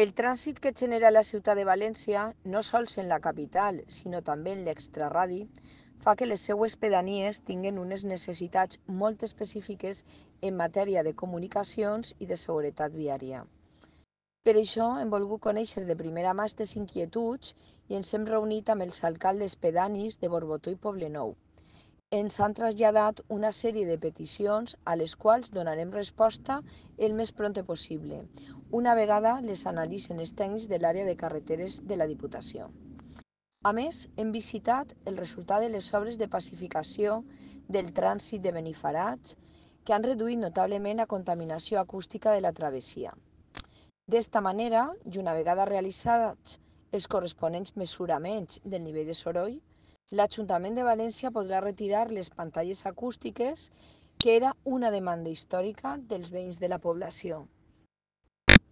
El trànsit que genera la ciutat de València, no sols en la capital, sinó també en l'extrarradi, fa que les seues pedanies tinguin unes necessitats molt específiques en matèria de comunicacions i de seguretat viària. Per això hem volgut conèixer de primera mà aquestes inquietuds i ens hem reunit amb els alcaldes pedanis de Borbotó i Poblenou. Ens han traslladat una sèrie de peticions a les quals donarem resposta el més prompte possible, una vegada les analitzen els tècnics de l'àrea de carreteres de la Diputació. A més, hem visitat el resultat de les obres de pacificació del trànsit de Benifairats, que han reduït notablement la contaminació acústica de la travessia. D'esta manera, i una vegada realitzats els corresponents mesuraments del nivell de soroll, l'Ajuntament de València podrà retirar les pantalles acústiques, que era una demanda històrica dels veïns de la població.